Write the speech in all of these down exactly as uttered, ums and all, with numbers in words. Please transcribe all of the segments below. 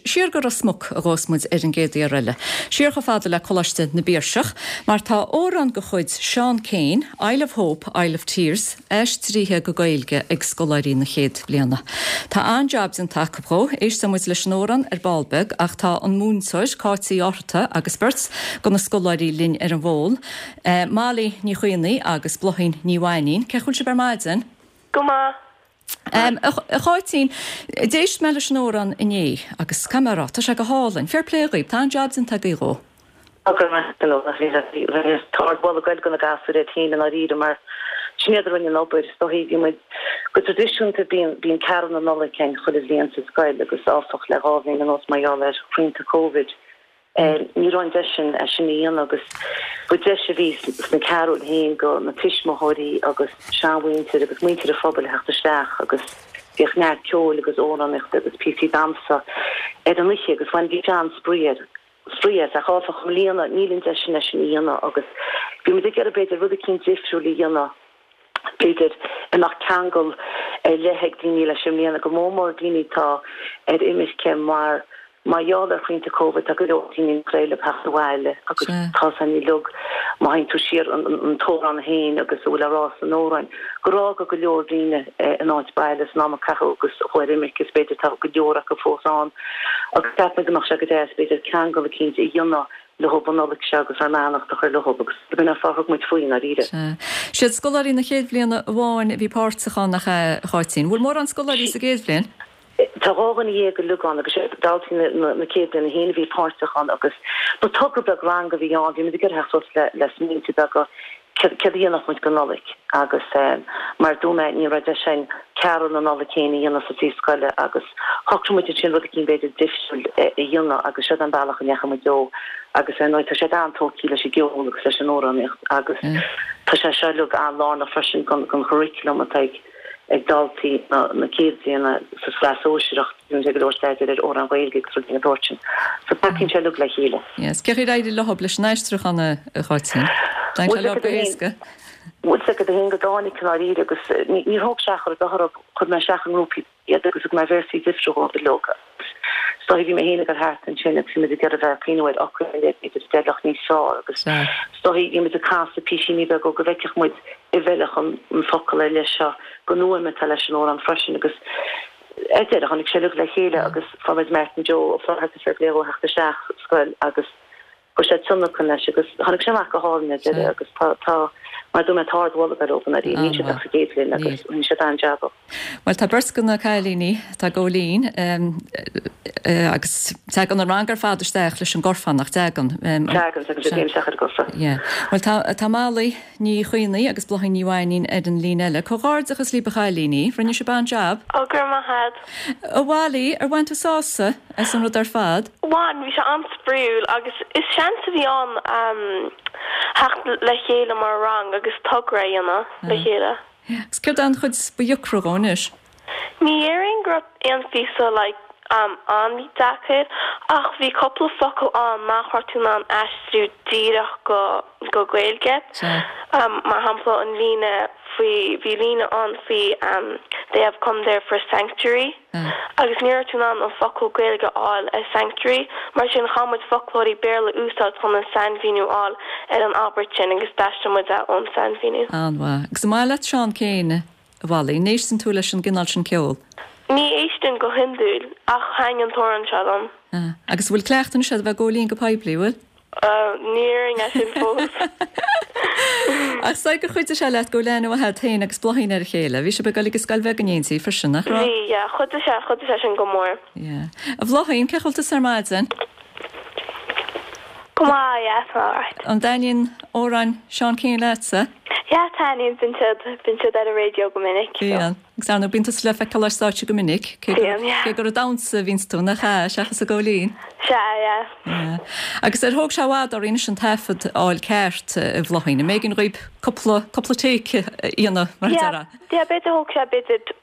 siar go Ros Muc a ghabhfas muid ar an gcéad fhear eile. Siar chomh fada le Coláiste na bPiarsach, mar tá amhrán de chuid Seán Keane, Isle of Hope, Isle of Tears, aistrithe go Gaeilge ag scoláirí na chéad bhliana. Tá an-jab déanta acu dhó, éistfidh muid leis an amhrán ar ball beag ach tá an múinteoir Cáit Uí Fhátharta agus beirt de na scoláirí linn ar an bhfón, eh, Molly Ní Chaonaigh agus Bláithín Ní Mhainín, cén chaoi a bhfuil sibh ar maidin? Go maith. Um, a Cháitín, d'éist mé leis an amhrán inné agus caithfidh mé a rá, tá sé go hálainn. Fair play dhaoibh, tá an-jab déanta agaibh dhó. Tá ardmholadh ag goil do na gasúir iad féin i ndáiríre mar sin iad a rinne an obair. Is dóichí bhí muid go traidisiúnta bíonn bíonn Carúil na Nollag againn chuile bhliain sa scoil agus áfach le dhá bhliain anuas mar gheall ar shrianta Covid ní raibh an deis sin é sin a dhéanamh agus ba deis a bhí sna carúil féin do na tuismitheoirí agus seanmhuintir agus muintir an phobail a theacht isteach agus bhíodh neart ceoil agus amhránaíochta agus píosaí damhsa ar an oíche agus bhain bhí an-spraoi air spraoi as ach áfach i mbliana níl an deis sin é sin a dhéanamh agus bhí muid ag iarraidh b'fhéidir rud eicínt difriúil a dhéanamh b'fhéidir a mbeadh ceangal ar leith ag daoine leis i mbliana go mór mór daoine atá ar imirce mar mar gheall ar shrianta Covid tá go leor daoine nach féidir leo theacht abhaile agus tá san uilig má théann tú siar an an t-amhrán féin agus a bhfuil á rá san amhrán gur fhág go leor daoine an áit baile san am a caitheadh agus chuaigh ar imirce is b'fhéidir tá go leor acu fós ann agus cheap mé go mbeadh sé go deas b'fhéidir ceangal eicínt a dhéanamh leo an Nollaig seo agus ár mbeannacht a chur leo agus b'in an fáth a thug muid faoi i ndáiríre. Siad scoláirí na chéad bhliana amháin a bhí páirteach ann nach ea, a Cháitín? Bhfuil mórán scoláirí sa gcéad bhliain? Tá dhá dhuine dhéag uilig ann agus sé daltaí na na céad bliana féin a bhí páirteach ann agus ba togra beag ranga a bhí ann, bhí muid ag iarraidh theacht suas le le smaointe beaga céard a dhéanfadh muid go Nollaig agus mar a dúirt mé ní raibh deis againn Carúil na Nollag féin a dhéanamh sa suíomh scoile agus shocraigh muid ansin rud eicínt b'fhéidir difriúil a dhéanamh agus seo an bealach a ndeachaigh muid dó agus ar ndóigh tá siad an-tógtha leis an gceol agus leis an amhránaíocht agus tá sé seo uilig an-lárnach freisin don don churriculum atá ag ag daltaí na na céad bhliana sa tsraith sóisearach bíonn sé go leor staidéar ar amhráin Ghaeilge agus rudaí den tsórt sin. So tacaíonn sé uilig le chéile. Yes. Cén chaoi ar éirigh leo leis an aistriúchán a Cháitín? Tháinig sé leo go héasca. Bhuel is dóigh go dtáinig i ndáiríre agus níor thóg sé ach oiread chuir mé isteach i ngrúpaí iad agus thug mé véarsaí difriúla dóibh uilig. Is dóigh bhí mé féin ag dul thart ansin agus bhí muid ag iarraidh bheith ag cuimhneamh ar fhocail ar leith b'fhéidir a d'fheilfeadh níos fearr agus is dóigh bhí muid ag casadh písíní beaga go bhfeicfeadh muid an bhfeilfeadh an an focal ar leith seo don fhuaim atá leis an amhrán freisin agus ar deireadh tháinig sé uilig le chéile agus fuair muid Martin Joe Ó Flatharta fair play dhó theacht isteach sa scoil agus chuir sé tionlacan leis agus tháinig sé amach go hálainn ar deireadh agus tá tá mar a dúirt mé tá ardmholadh ar obair na níl siad ach sa gcéad bhliain agus rinne siad an-jab. Bhuel tá beirt de na cailíní atá ag gabháil fhoinn agus tagann an rang ar fad isteach leis an gcorfán nach dtagann. Tagann tagann siad isteach ar an gcorfán. Yeah. Bhuel tá tá Molly Ní Chaonaigh agus Bláithín Ní Mhainín ar an líne eile. Comhghairdeachas libh a chailíní, rinne sibh an-jab. Ó go raibh maith agat. A Mholly, ar bhain tú sásamh as an rud ar fad? Bhain, bhí sé an-spraíúil agus is seans a bhí ann theacht le chéile mar rang agus togra a dhéanamh le chéile. Agus céard é an chuid ba dheacra dhó anois? Ní dhéarfainn go raibh aon phíosa like an-deacair ach bhí cúpla focal ann nach raibh tú in ann aistriú díreach go go Gaeilge. Mar shampla an líne faoi bhí líne ann faoi they have come there for sanctuary agus ní raibh tú in ann an focal Gaeilge a fháil ar sanctuary mar sin chaith muid foclóirí Béarla a úsáid chun an sainmhíniú a fháil ar an abairt sin agus d'aistrigh muid é ón sainmhíniú. An-mhaith. Agus an maith leat Seán Keane, a Mholly? An éisteann tú leis an gcineál sin ceoil? Ní éistim go hiondúil ach thaitin an t-amhrán seo liom. Agus an bhfuil cleachtadh anois agat a bheith ag gabháil fhoinn go poiblí, bhfuil? Ní déarfainn é sin fós. Ach is dóigh gur chuidigh sé leat go bhfuil aithne mhaith agat féin agus Bláithín ar a chéile. Bhí sibh ag dul ag an scoil bheag in éindí freisin, nach raibh? Bhí, yeah. Chuidigh sé, chuidigh sé sin go mór. Yeah. A Bhláithín, cén chaoi a bhfuil tusa ar maidin? Go maith, yeah, tá mé alright. An dtaitníonn amhráin Seán Keane leatsa? Yeah, taitníonn, bíonn siad, bíonn siad ar an raidió go minic, so. Bíonn. Agus ar ndóigh bíonn tusa le feiceáil ar stáitse go minic, cé gur, Bíonn, yeah. cé gur ag damhsa a bhíonns tú, nach ea, seachas ag gabháil fhoinn? Sea, yeah. Yeah. Agus ar thóg sé i bhfad oraibh anois an taifead a fháil ceart, a Bhláithín? An mb'éigean dhaoib cúpla, cúpla take a dhéanamh, mar a Yeah, déarfá? yeah, b'fhéidir thóg sé b'fhéidir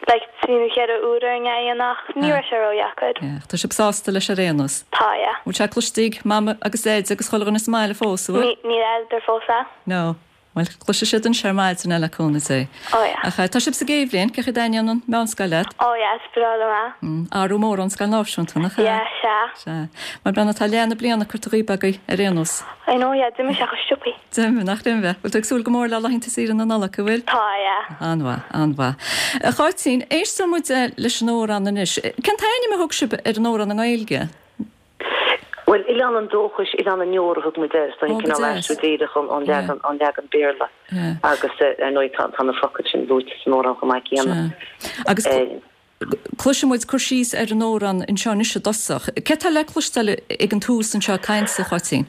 like trí nó cheithre uair orainn é a dhéanamh ach ní raibh sé ródheacair. Yeah, tá sibh sásta leis ar aon nós? Tá, yeah. Bhfuil sé cloiste ag Mama agus Daid agus chuile dhuine sa mbaile fós, an bhfuil? Ní, níl fheadar fós é. No, Bhuel, cloisfidh siad anseo ar maidin é le cúnamh Dé. Oh yeah. Ach tá sibh sa gcéad bhliain, cén chaoi a dtaitníonn an mheánscoil leat? Oh yeah, is breá liom é. Athrú mór ón scoil náisiúnta, nach ea? Yeah, sea. Sea. Bhuel, Brenna, tá leath na bliana curtha dhíob agaibh ar aon nós. I know, yeah, d'imigh sé chomh sciobtha. D'imigh, nach d'imigh. Bhfuil tú ag súil go mór le laethanta saoire na Nollag, an bhfuil? Tá, yeah. An-mhaith, an-mhaith. A Cháitín, éisteann muid leis an amhrán anois. Cén t-ainm a thug sibh ar an amhrán i nGaeilge? Bhuel, Oileán an Dóchais, Oileán na nDeor a thug muid air, so cineál aistriú díreach ón leagan ón leagan Béarla. Agus ar ndóigh tá tá na focail sin luaite san amhrán chomh maith céanna. Agus cloisfidh muid cur síos ar an amhrán anseo anois i dtosach. Cé tá le cloisteáil ag an tús anseo ag caint, a Cháitín?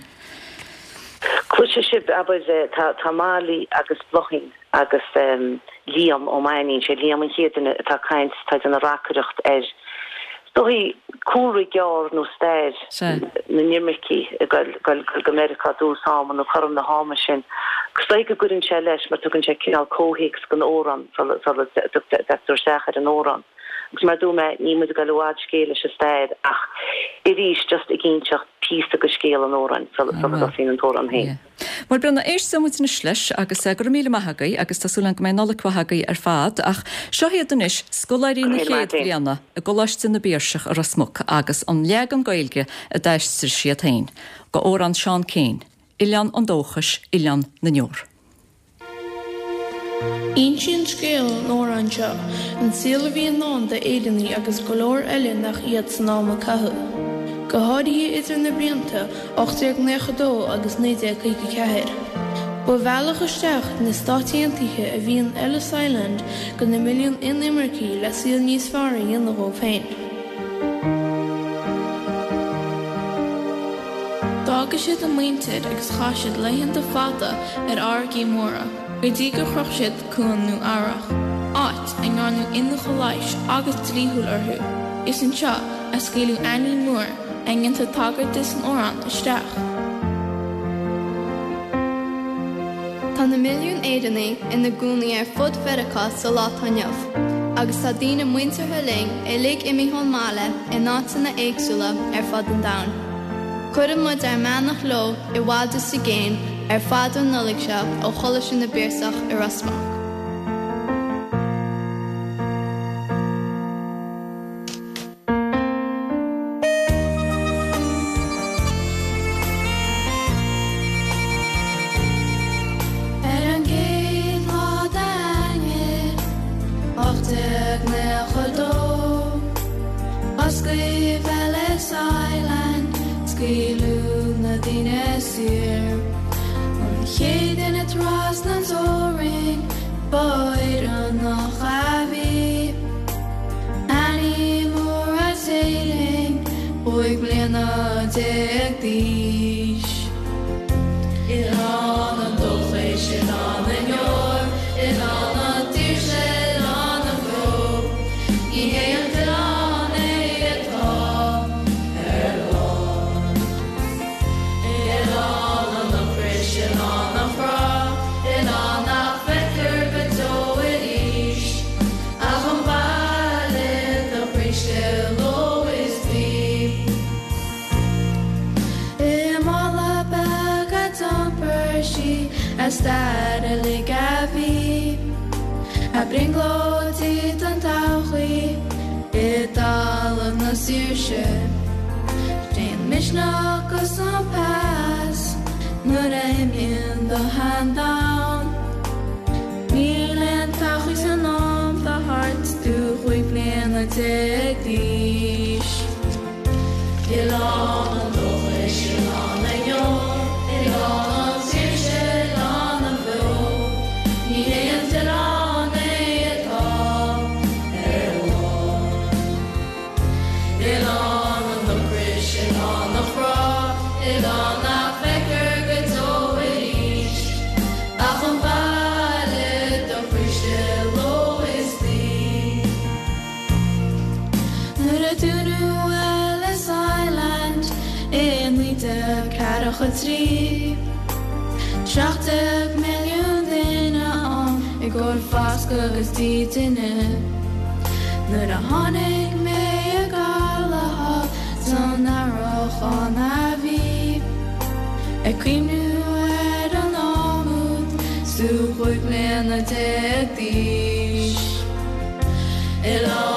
Cloisfidh sibh, abair, tá tá Molly agus Bláithín agus Liam Ó Mainnín, sé Liam an chéad duine atá ag caint, tá ag déanamh reacaireacht ar is dóigh cúlra gearr nó stair na n-imircigh ag goil go Meiriceá i dtús ama nó cothrom na hama sin. Agus is dóigh go gcuireann sé leis mar tugann sé cineál comhthéacs don amhrán sula dtagtar isteach ar an amhrán. Agus mar a dúirt mé, níl muid ag goil i bhfad scéil leis an stair ach arís just ag inseacht píosa de scéal an amhráin sula dtosaíonn an t-amhrán féin. Bhuel, Brenna, éistfidh muid anois leis agus go raibh míle maith agaibh agus tá súil agam go mbeidh Nollaig mhaith agaibh ar fad ach seo iad anois scoláirí na chéad bhliana i gColáiste na bPiarsach i Ros Muc agus an leagan Gaeilge a d'aistrigh siad féin go amhrán Seán Kyne, Oileán an Dóchais, Oileán na nDeor. Insíonn scéal an amhráin seo an saol a bhí i ndán d'Éireannaigh agus go leor eile nach iad san am a caitheadh, go háirithe idir na blianta ocht déag naocha dó agus naoi déag caoga ceathair. Ba bhealach isteach na Stáit Aontaithe a bhí in Ellis Island do na milliúin inimircigh le saol níos fearr a dhéanamh dhóibh féin. D'fhága siad a muintir agus chaith siad laethanta fada ar fharraigí móra. Go dtí gur shroich siad cuan Nua Eabhrac, áit a ndearnadh iniúchadh leighis agus dlíthiúil orthu. Is anseo a scaoileadh Annie Moore, a ndéantar tagairt di san amhrán, isteach. Tá na milliúin Éireannaigh ina gcónaí ar fud Mheiriceá sa lá atá inniu, agus tá daoine muinteartha linn uilig imithe ón mbaile in áiteanna éagsúla ar fud an domhain. Cuireann muid ár mbeannacht leo i bhfad is i gcéin ar fad an Nollaig seo ó Choláiste na bPiarsach i Ros Muc. Ar an gcéad lá d'Eanáir, ocht déag naocha dó, osclaíodh Ellis Island, scaoileadh na daoine saor. An chéad duine trasna an teorainn, ba Éireannach a bhí. Annie Moore as Éirinn, cúig bliana déag d'aois. Oileán an dóchais, oileán na ndeor, oileán na daoirse, oileán na mbeo. Ní hé an t-oileán é atá ar lár. Oileán an ocrais, oileán an chrá, oileán nach bhfeictear go deo arís. Ach an baile do chroí istigh ló is d'oíche. I mála beag a d'iompair sí a stair uilig a bhí, a brionglóidí don todhchaí i dtalamh na saoirse. Sé an misneach agus an pas nuair a imíonn do shean-domhan. Níl aon todhchaí san am atá thart 's tú cúig bliana déag d'aois. Oileán an dóchais, oileán na ndeor, oileán na saoirse, oileán na mbeo. Ní hé an t-oileán é atá ar lár. Oileán an ocrais, oileán an chrá, oileán nach bhfeictear go deo arís. Ach an baile do chroí istigh ló is d'oíche. Nuair a dúnadh Ellis Island i naoi déag ceathracha trí, seacht déag milliún duine ann i gcomhair foscadh agus dídine. Nuair a tháinig mé ag gabháil san earrach ann a bhí, ag cuimhniú ar an am úd 's Is tú cúig bliana déag d'aois. I lár